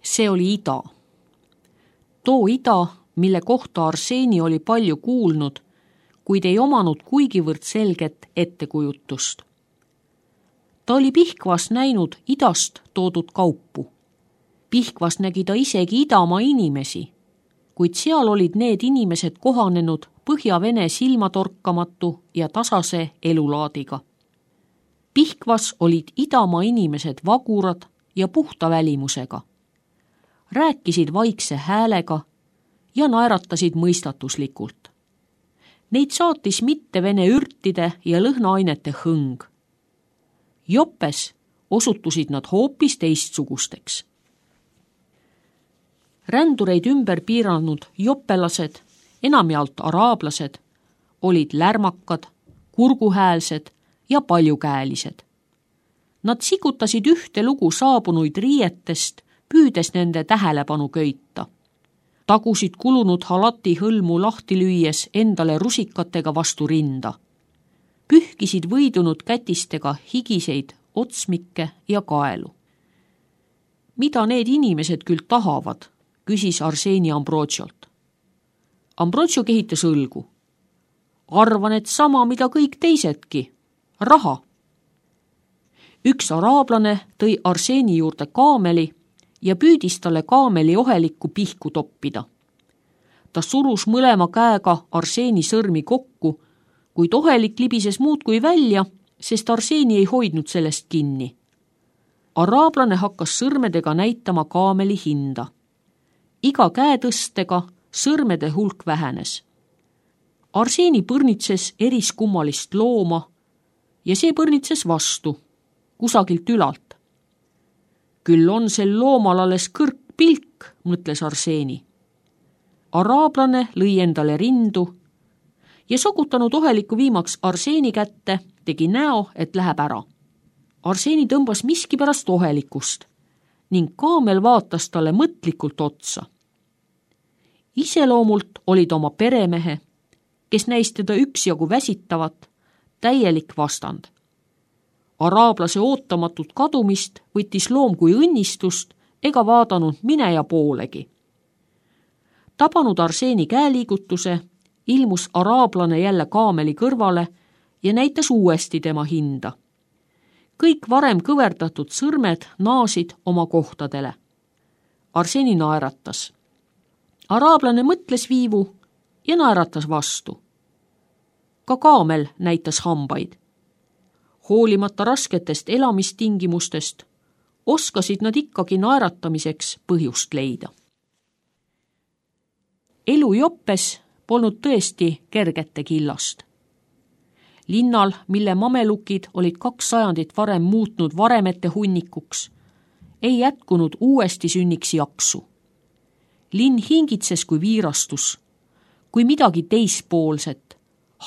See oli ida. Too ida, mille kohta Arseni oli palju kuulnud, kuid ei omanud kuigivõrd selget ettekujutust. Ta oli Pihkvas näinud idast toodud kaupu. Pihkvas nägi ta isegi idamaa inimesi, kuid seal olid need inimesed kohanenud Põhja-Vene silmatorkamatu ja tasase elulaadiga. Pihkvas olid idamaa inimesed vagurad ja puhta välimusega. Rääkisid vaikse häälega ja naeratasid mõistatuslikult. Neid saatis mitte vene ürtide ja lõhnaainete hõng. Joppes osutusid nad hoopis teistsugusteks. Rändureid ümber piiranud joppelased, enamjaolt araablased, olid lärmakad, kurguhäälsed ja paljukäelised. Nad sikutasid ühte lugu saabunuid riietest, püüdes nende tähelepanu köita. Tagusid kulunud halati hõlmu lahti lüües endale rusikatega vastu rinda. Pühkisid võidunud kätistega higiseid otsmikke ja kaelu. Mida need inimesed küll tahavad, küsis Arseni Ambrotšolt. Ambrotšo kehitas õlgu. Arvan, et sama, mida kõik teisedki. Raha. Üks araablane tõi Arseni juurde kaameli ja püüdis talle kaameli ohelikku pihku toppida. Ta surus mõlema käega Arseni sõrmi kokku, kuid ohelik libises muudkui välja, sest Arseni ei hoidnud sellest kinni. Araablane hakkas sõrmedega näitama kaameli hinda. Iga käetõstega sõrmede hulk vähenes. Arseni põrnitses eriskummalist looma ja see põrnitses vastu, kusagilt ülalt. Küll on sel loomal alles kõrgpilk, mõtles Arseni. Araablane lõi endale rindu ja sokutanud oheliku viimaks Arseni kätte, tegi näo, et läheb ära. Arseni tõmbas miskipärast ohelikust ning kaamel vaatas talle mõtlikult otsa. Iseloomult olid oma peremehe, kes näis teda üksjagu väsitavat, täielik vastand. Araablase ootamatut kadumist võttis loom kui õnnistust ega vaadanud mineja poolegi. Tabanud Arseni käeliigutuse, ilmus araablane jälle kaameli kõrvale ja näitas uuesti tema hinda. Kõik varem kõverdatud sõrmed naasid oma kohtadele. Arseni naeratas. Araablane mõtles viivu ja naeratas vastu. Ka kaamel näitas hambaid. Hoolimata rasketest elamistingimustest oskasid nad ikkagi naeratamiseks põhjust leida. Elu Joppes polnud tõesti kergete killast. Linnal, mille mamelukid olid 2 sajandit varem muutnud varemete hunnikuks, ei jätkunud uuesti sünniks jaksu. Linn hingitses kui viirastus, kui midagi teispoolset,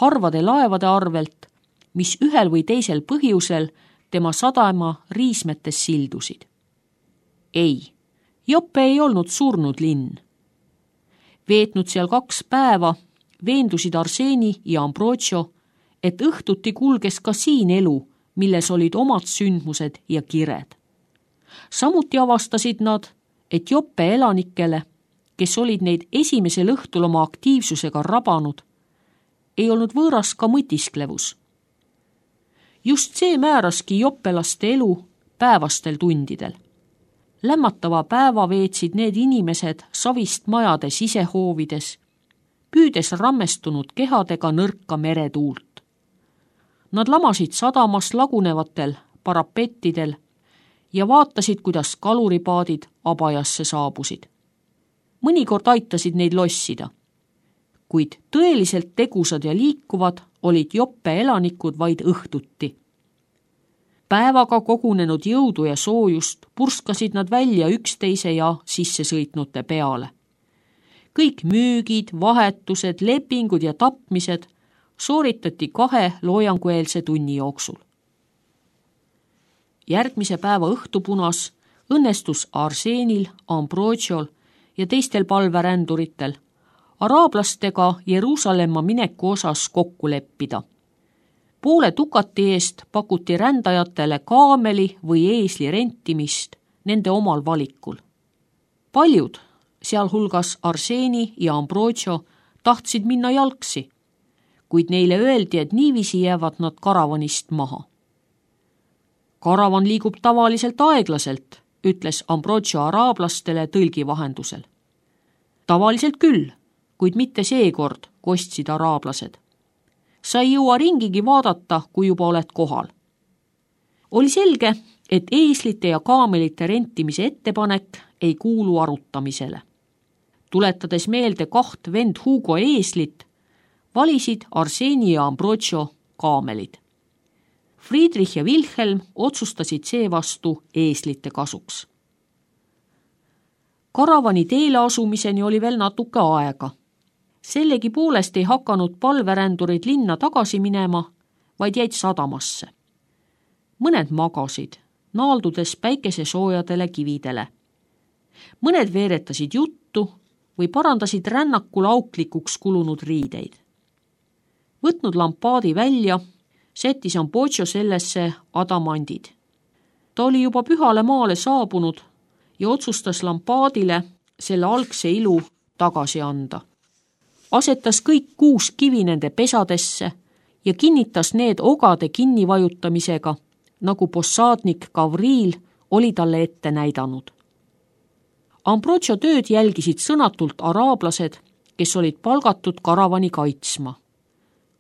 harvade laevade arvelt, mis ühel või teisel põhjusel tema sadama riismetes sildusid. Ei, Joppe ei olnud surnud linn. Veetnud seal 2 päeva, veendusid Arseni ja Ambrotšo, et õhtuti kulges ka siin elu, milles olid omad sündmused ja kired. Samuti avastasid nad, et Joppe elanikele, kes olid neid esimesel õhtul oma aktiivsusega rabanud, ei olnud võõras ka mõtisklevus. Just see määraski joppelaste elu päevastel tundidel. Lämmatava päeva veetsid need inimesed savist majade sisehoovides, püüdes rammestunud kehadega nõrka meretuult. Nad lamasid sadamas lagunevatel parapettidel ja vaatasid, kuidas kaluripaadid Abajasse saabusid. Mõnikord aitasid neid lossida, kuid tõeliselt tegusad ja liikuvad olid Joppe elanikud vaid õhtuti. Päevaga kogunenud jõudu ja soojust purskasid nad välja üksteise ja sissesõitnute peale. Kõik müügid, vahetused, lepingud ja tapmised sooritati 2 loojangueelse tunni jooksul. Järgmise päeva õhtupunas õnnestus Arsenil, Ambrotšol ja teistel palveränduritel araablastega Jeruusalemma mineku osas kokku leppida. Poole dukati eest pakuti rändajatele kaameli või eesli rentimist nende omal valikul. Paljud, sealhulgas Arseni ja Ambrogio, tahtsid minna jalgsi, kuid neile öeldi, et niiviisi jäävad nad karavanist maha. Karavan liigub tavaliselt aeglaselt, ütles Ambrogio araablastele tõlgi vahendusel. Tavaliselt küll, kuid mitte seekord, kostsid araablased. Sa ei jõua ringigi vaadata, kui juba oled kohal. Oli selge, et eeslite ja kaamelite rentimise ettepanek ei kuulu arutamisele. Tuletades meelde 2 vend Hugo eeslit, valisid Arseni ja Ambrogio kaamelid. Friedrich ja Wilhelm otsustasid seevastu eeslite kasuks. Karavani teele asumiseni oli veel natuke aega. Sellegi poolest ei hakanud palverändurid linna tagasi minema, vaid jäid sadamasse. Mõned magasid, naaldudes päikesesoojadele kividele. Mõned veeretasid juttu või parandasid rännakul auklikuks kulunud riideid. Võtnud lampaadi välja, sättis Ambrogio sellesse adamandid. Ta oli juba pühale maale saabunud ja otsustas lampaadile selle algse ilu tagasi anda. Asetas kõik 6 kivi nende pesadesse ja kinnitas need ogade kinnivajutamisega, nagu possaadnik Gavril oli talle ette näidanud. Ambrogio tööd jälgisid sõnatult araablased, kes olid palgatud karavani kaitsma.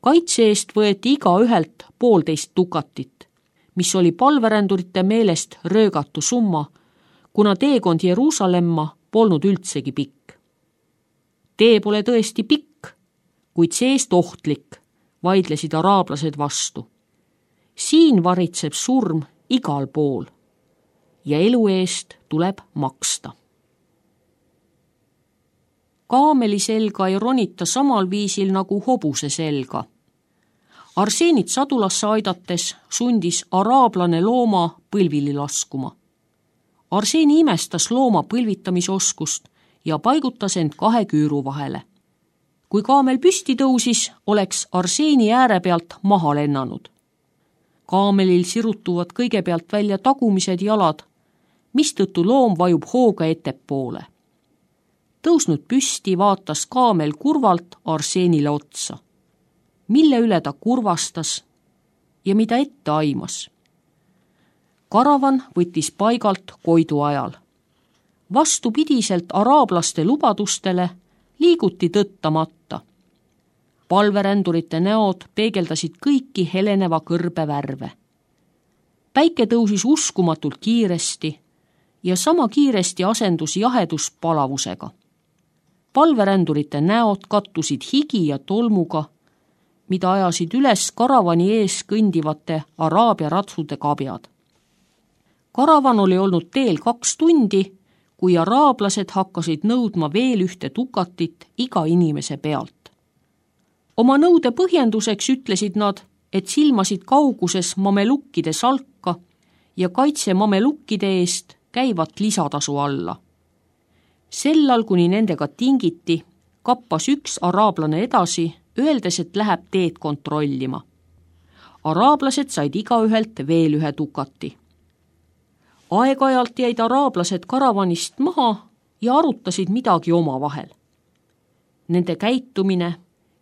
Kaitse eest võeti igaühelt 1,5 dukatit, mis oli palverändurite meelest röögatu summa, kuna teekond Jeruusalemma polnud üldsegi pikk. Tee pole tõesti pikk, kuid seest ohtlik, vaidlesid araablased vastu. Siin varitseb surm igal pool ja elu eest tuleb maksta. Kaameli selga ei ronita samal viisil nagu hobuse selga. Arsenit sadulasse aidates sundis araablane looma põlvili laskuma. Arseni imestas looma põlvitamisoskust ja paigutas end 2 küüru vahele. Kui kaamel püsti tõusis, oleks Arseni ääre pealt maha lennanud. Kaamelil sirutuvad kõigepealt välja tagumised jalad, mistõttu loom vajub hooga ettepoole. Tõusnud püsti vaatas kaamel kurvalt Arsenile otsa. Mille üle ta kurvastas ja mida ette aimas. Karavan võttis paigalt Koidu ajal. Vastupidiselt araablaste lubadustele liiguti tõttamata. Palverändurite näod peegeldasid kõiki heleneva kõrbe värve. Päike tõusis uskumatult kiiresti ja sama kiiresti asendus jahedus palavusega. Palverändurite näod kattusid higi ja tolmuga, mida ajasid üles karavani ees kõndivate araabia ratsude kabjad. Karavan oli olnud teel 2 tundi, kui araablased hakkasid nõudma veel 1 dukatit iga inimese pealt. Oma nõude põhjenduseks ütlesid nad, et silmasid kauguses mamelukkide salka ja kaitse mamelukkide eest käivat lisatasu alla. Sellal, kuni nendega tingiti, kappas 1 araablane edasi, öeldes, et läheb teed kontrollima. Araablased said igaühelt veel 1 dukati. Aeg-ajalt jäid araablased karavanist maha ja arutasid midagi omavahel. Nende käitumine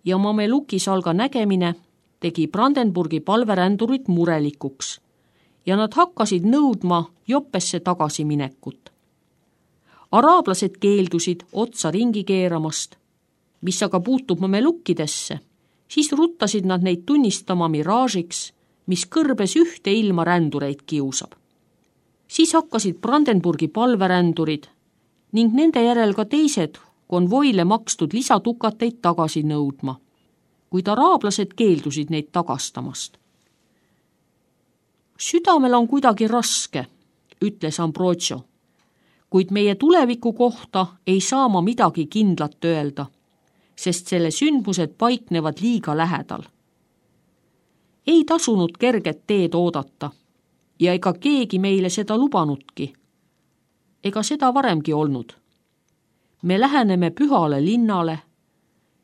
ja mamelukisalga nägemine tegi Brandenburgi palverändurid murelikuks ja nad hakkasid nõudma Joppesse tagasiminekut. Araablased keeldusid otsa ringi keeramast, mis aga puutub mamelukkidesse, siis ruttasid nad neid tunnistama miraažiks, mis kõrbes ühte ilma rändureid kiusab. Siis hakkasid Brandenburgi palverändurid ning nende järel ka teised konvoile makstud lisatukateid tagasi nõudma, kuid araablased keeldusid neid tagastamast. Südamel on kuidagi raske, ütles Ambrogio, kuid meie tuleviku kohta ei saa ma midagi kindlat öelda, sest selle sündmused paiknevad liiga lähedal. Ei tasunud kerget teed oodata ja ega keegi meile seda lubanudki. Ega seda varemgi olnud. Me läheneme pühale linnale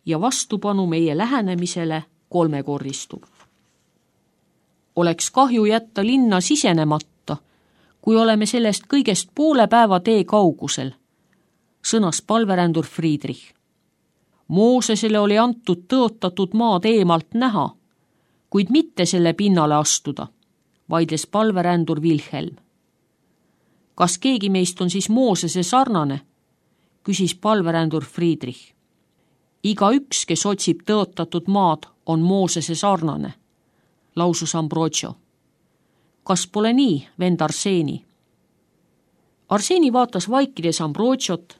ja vastupanu meie lähenemisele 3-korristub. Oleks kahju jätta linna sisenemata, kui oleme sellest kõigest poole päeva tee kaugusel, sõnas palverändur Friedrich. Moosesele oli antud tõotatud maad eemalt näha, kuid mitte selle pinnale astuda, vaidles palverändur Wilhelm. Kas keegi meist on siis Moosese sarnane? Küsis palverändur Friedrich. Igaüks, kes otsib tõotatud maad, on Moosese sarnane, lausus Ambrogio. Kas pole nii, vend Arseni? Arseni vaatas vaikides Ambrogiot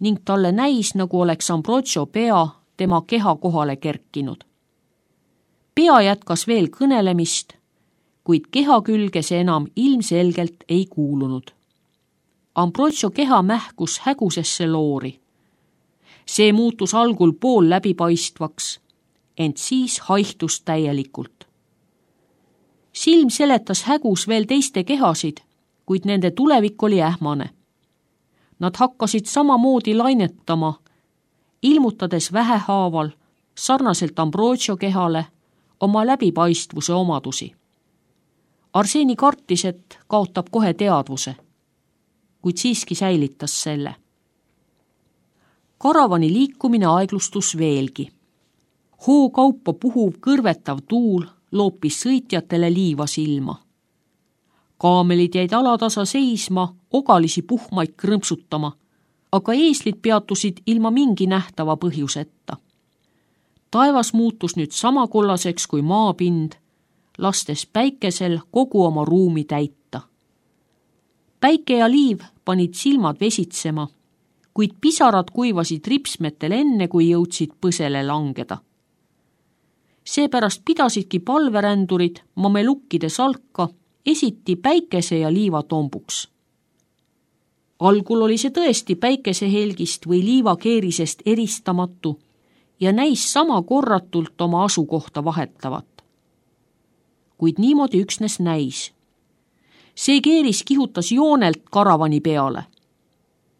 ning talle näis, nagu oleks Ambrogio pea tema keha kohale kerkinud. Pea jätkas veel kõnelemist, kuid keha külge see enam ilmselgelt ei kuulunud. Ambrogio keha mähkus hägusesse loori. See muutus algul pool läbipaistvaks, ent siis haihtus täielikult. Silm seletas hägus veel teiste kehasid, kuid nende tulevik oli ähmane. Nad hakkasid samamoodi lainetama, ilmutades vähehaaval, sarnaselt Ambrogio kehale, oma läbipaistvuse omadusi. Arseni kartis, et kaotab kohe teadvuse, kuid siiski säilitas selle. Karavani liikumine aeglustus veelgi. Hookaupa puhuv kõrvetav tuul loopis sõitjatele liiva silma. Kaamelid jäid alatasa seisma, ogalisi puhmaid krõmpsutama, aga eeslid peatusid ilma mingi nähtava põhjuseta. Taevas muutus nüüd sama kollaseks kui maapind, lastes päikesel kogu oma ruumi täita. Päike ja liiv panid silmad vesitsema, kuid pisarad kuivasid ripsmetel enne, kui jõudsid põsele langeda. Seepärast pidasidki palverändurid mamelukkide salka esiti päikese ja liiva tombuks. Algul oli see tõesti päikesehelgist või liivakeerisest eristamatu ja näis sama korratult oma asukohta vahetavat. Kuid niimoodi üksnes näis. See keeris kihutas joonelt karavani peale.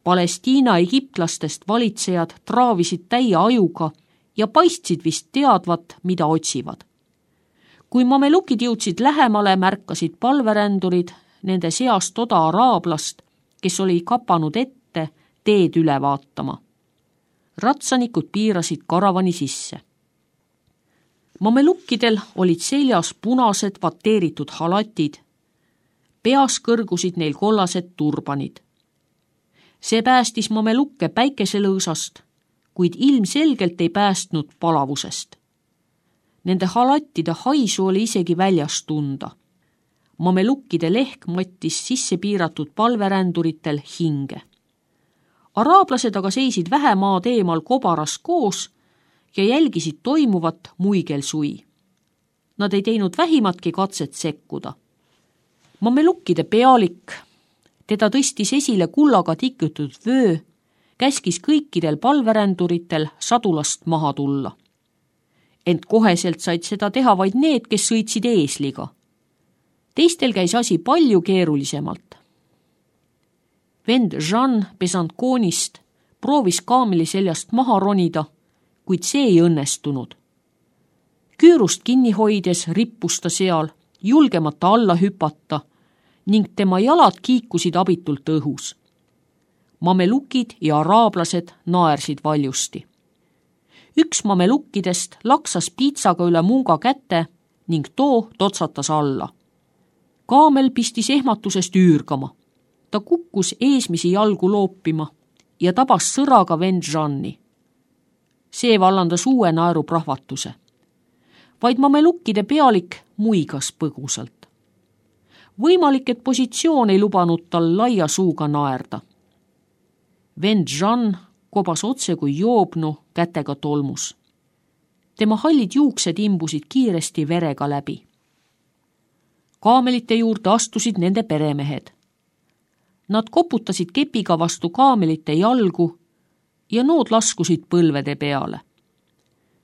Palestiina egiptlastest valitsejad traavisid täie ajuga ja paistsid vist teadvat, mida otsivad. Kui mamelukid jõudsid lähemale, märkasid palverändurid nende seast oda araablast, kes oli kapanud ette teed üle vaatama. Ratsanikud piirasid karavani sisse. Mamelukkidel olid seljas punased vateeritud halatid, peas kõrgusid neil kollased turbanid. See päästis mamelukke päikeselõõsast, kuid ilmselgelt ei päästnud palavusest. Nende halattide haisu oli isegi väljas tunda. Mamelukkide lehk mattis sisse piiratud palveränduritel hinge. Araablased aga seisid vähemaad eemal kobaras koos ja jälgisid toimuvat muigelsui. Nad ei teinud vähimatki katset sekkuda. Mamelukkide pealik, teda tõstis esile kullaga tikkutud vöö, käskis kõikidel palveränduritel sadulast maha tulla. Ent koheselt said seda teha vaid need, kes sõitsid eesliga. Teistel käis asi palju keerulisemalt. Vend Jean Besanconist proovis kaameli seljast maha ronida, kuid see ei õnnestunud. Küürust kinni hoides rippus ta seal, julgemata alla hüpata ning tema jalad kiikusid abitult õhus. Mamelukid ja araablased naersid valjusti. Üks mamelukkidest laksas piitsaga üle munga käte ning too totsatas alla. Kaamel pistis ehmatusest üürgama. Ta kukkus eesmisi jalgu loopima ja tabas sõraga vend Jeanni. See vallandas uue naeruprahvatuse. Vaid mamelukkide pealik muigas põgusalt. Võimalik, et positsioon ei lubanud tal laia suuga naerda. Vend Jean kobas otse kui joobnu kätega tolmus. Tema hallid juuksed imbusid kiiresti verega läbi. Kaamelite juurde astusid nende peremehed. Nad koputasid kepiga vastu kaamelite jalgu ja nood laskusid põlvede peale.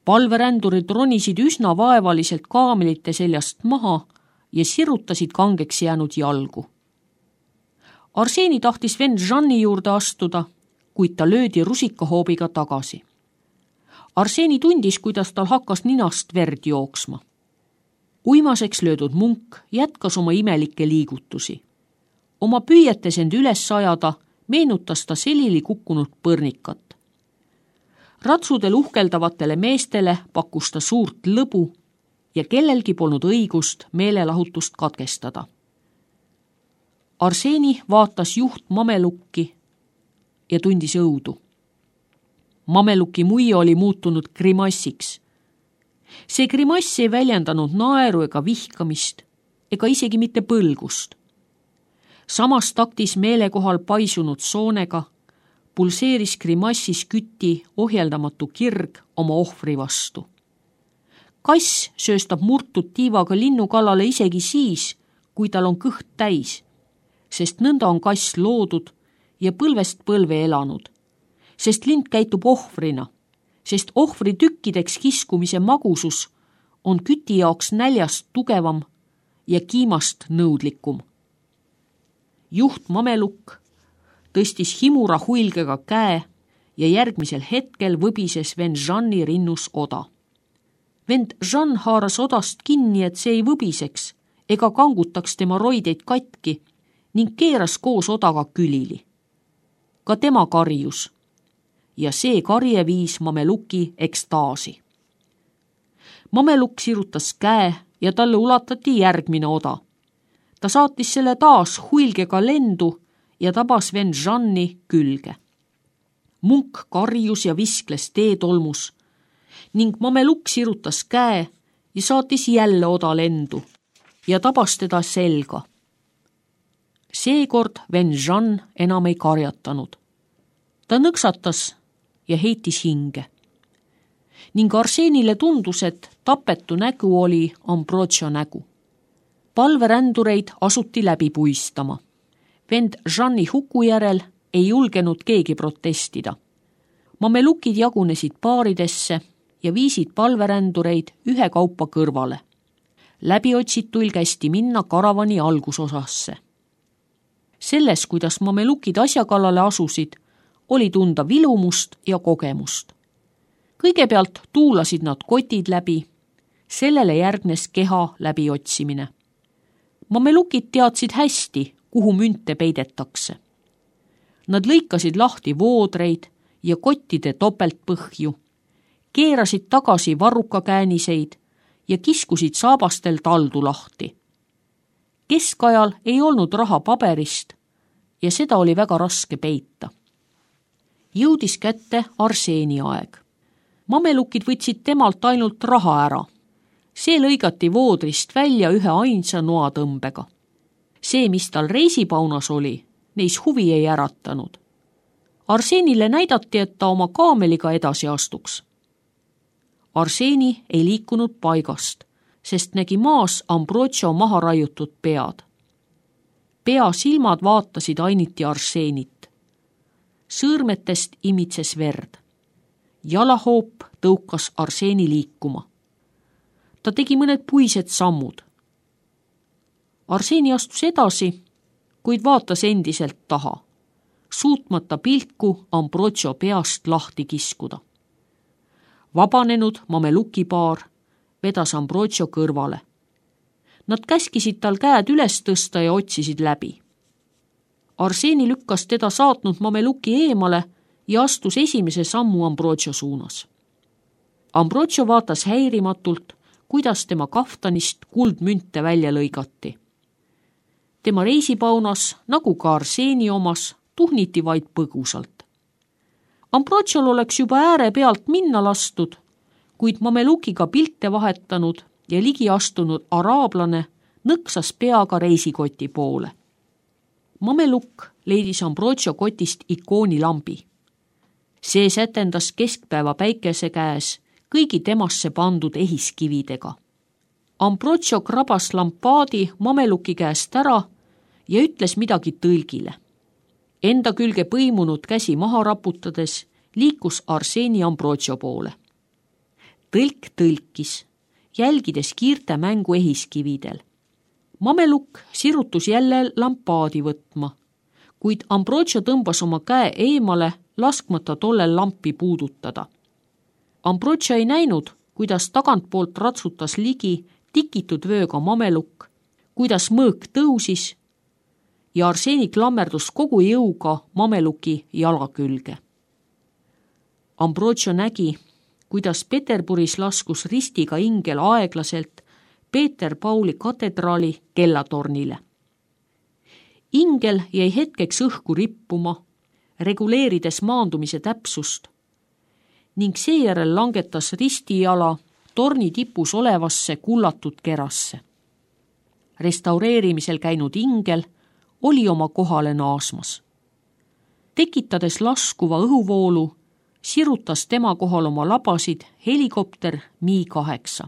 Palverändurid ronisid üsna vaevaliselt kaamelite seljast maha ja sirutasid kangeks jäänud jalgu. Arseni tahtis vend Jeanni juurde astuda, kuid ta löödi rusikahoobiga tagasi. Arseni tundis, kuidas tal hakkas ninast verd jooksma. Uimaseks löödud munk jätkas oma imelikke liigutusi. Oma püüetes end üles ajada, meenutas ta selili kukkunud põrnikat. Ratsudel uhkeldavatele meestele pakkus ta suurt lõbu ja kellelgi polnud õigust meelelahutust katkestada. Arseni vaatas juht mamelukki ja tundis õudu. Mameluki muie oli muutunud grimassiks. See grimass ei väljendanud naeru ega vihkamist ega isegi mitte põlgust. Samas taktis meelekohal paisunud soonega pulseeris grimassis küti ohjeldamatu kirg oma ohvri vastu. Kass sööstab murtud tiivaga linnu kallale isegi siis, kui tal on kõht täis, sest nõnda on kass loodud ja põlvest põlve elanud, sest lind käitub ohvrina, sest ohvri tükkideks kiskumise magusus on küti jaoks näljast tugevam ja kiimast nõudlikum. Juht mamelukk tõstis himura huilgega käe ja järgmisel hetkel võbises vend Jean'i rinnus oda. Vend Jean haaras odast kinni, et see ei võbiseks ega kangutaks tema roideid katki ning keeras koos odaga külili. Ka tema karjus ja see karje viis mameluki ekstaasi. Mamelukk sirutas käe ja talle ulatati järgmine oda. Ta saatis selle taas huilgega lendu ja tabas vend Jean'i külge. Munk karjus ja viskles teetolmus ning mamelukk sirutas käe ja saatis jälle oda lendu ja tabas teda selga. Seekord vend Jean enam ei karjatanud. Ta nõksatas ja heitis hinge. Ning Arsenile tundus, et tapetu nägu oli Ambrogio nägu. Palverändureid asuti läbi puistama. Vend Jean'i huku järel ei julgenud keegi protestida. Mamelukid jagunesid paaridesse ja viisid palverändureid ühekaupa kõrvale. Läbiotsituil kästi minna karavani algusosasse. Selles, kuidas mamelukid asja kallale asusid, oli tunda vilumust ja kogemust. Kõigepealt tuulasid nad kotid läbi, sellele järgnes keha läbiotsimine. Mamelukid teadsid hästi, kuhu münte peidetakse. Nad lõikasid lahti voodreid ja kottide topeltpõhju, keerasid tagasi varrukakääniseid ja kiskusid saabastel taldu lahti. Keskajal ei olnud raha paberist ja seda oli väga raske peita. Jõudis kätte Arseni aeg. Mamelukid võtsid temalt ainult raha ära. See lõigati voodrist välja ühe ainsa noatõmbega. See, mis tal reisipaunas oli, neis huvi ei äratanud. Arsenile näidati, et ta oma kaameliga edasi astuks. Arseni ei liikunud paigast, sest nägi maas Ambrogio maha raiutud pead. Pea silmad vaatasid ainiti Arsenit. Sõõrmetest imitses verd. Jalahoop tõukas Arseni liikuma. Ta tegi mõned puised sammud. Arseni astus edasi, kuid vaatas endiselt taha, suutmata pilku Ambrogio peast lahti kiskuda. Vabanenud mamelukipaar vedas Ambrogio kõrvale. Nad käskisid tal käed üles tõsta ja otsisid läbi. Arseni lükkas teda saatnud mameluki eemale ja astus esimese sammu Ambrogio suunas. Ambrogio vaatas häirimatult, kuidas tema kaftanist kuldmünte välja lõigati. Tema reisipaunas, nagu ka Arseni omas, tuhniti vaid põgusalt. Ambrogiol oleks juba ääre pealt minna lastud, kuid mamelukiga pilte vahetanud ja ligi astunud araablane nõksas peaga reisikoti poole. Mamelukk leidis Ambrogio kotist ikoonilambi. See sätendas keskpäeva päikese käes kõigi temasse pandud ehiskividega. Ambrogio krabas lampaadi mameluki käest ära ja ütles midagi tõlgile. Enda külge põimunud käsi maha raputades liikus Arseni Ambrogio poole. Tõlk tõlkis, jälgides kiirte mängu ehiskividel. Mamelukk sirutus jälle lampaadi võtma, kuid Ambrogio tõmbas oma käe eemale, laskmata tollel lampi puudutada. Ambrogio ei näinud, kuidas tagantpoolt ratsutas ligi tikitud vööga mamelukk, kuidas mõõk tõusis ja Arseni klammerdus kogu jõuga mameluki jala külge. Ambrogio nägi, kuidas Peterburis laskus ristiga ingel aeglaselt Peeter Pauli katedraali kellatornile. Ingel jäi hetkeks õhku rippuma, reguleerides maandumise täpsust ning seejärel langetas ristijala torni tipus olevasse kullatud kerasse. Restaureerimisel käinud ingel oli oma kohale naasmas. Tekitades laskuva õhuvoolu, sirutas tema kohal oma labasid helikopter Mi-8.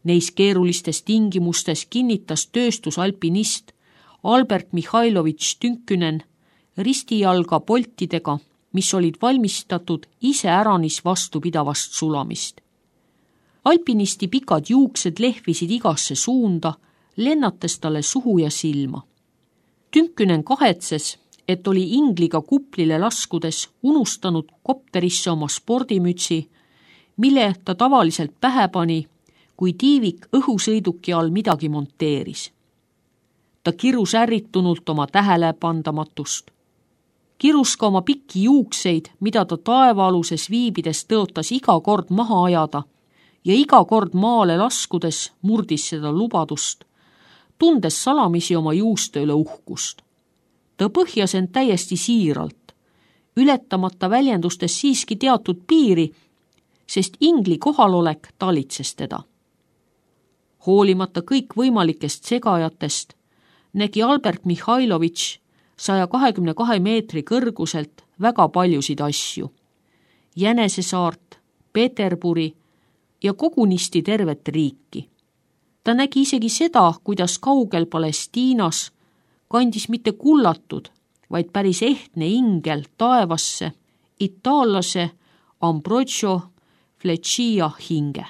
Neis keerulistes tingimustes kinnitas tööstusalpinist Albert Mihhailovitš Tünkynen ristijalga poltidega, mis olid valmistatud iseäranis vastupidavast sulamist. Alpinisti pikad juuksed lehvisid igasse suunda, lennates talle suhu ja silma. Tünkynen kahetses, et oli ingliga kuplile laskudes unustanud kopterisse oma spordimütsi, mille ta tavaliselt pähe pani, kui tiivik õhusõiduki all midagi monteeris. Ta kirus ärritunult oma tähelepandamatust. Kirus ka oma pikki juukseid, mida ta taevaaluses viibides tõotas iga kord maha ajada ja iga kord maale laskudes murdis seda lubadust, tundes salamisi oma juuste üle uhkust. Ta põhjas end täiesti siiralt, ületamata väljendustes siiski teatud piiri, sest ingli kohalolek talitses teda. Hoolimata kõik võimalikest segajatest nägi Albert Mihhailovitš 122 meetri kõrguselt väga paljusid asju. Jänesesaart, Peterburi ja kogunisti tervet riiki. Ta nägi isegi seda, kuidas kaugel Palestiinas kandis mitte kullatud, vaid päris ehtne ingel taevasse itaallase Ambrogio Fleccia hinge.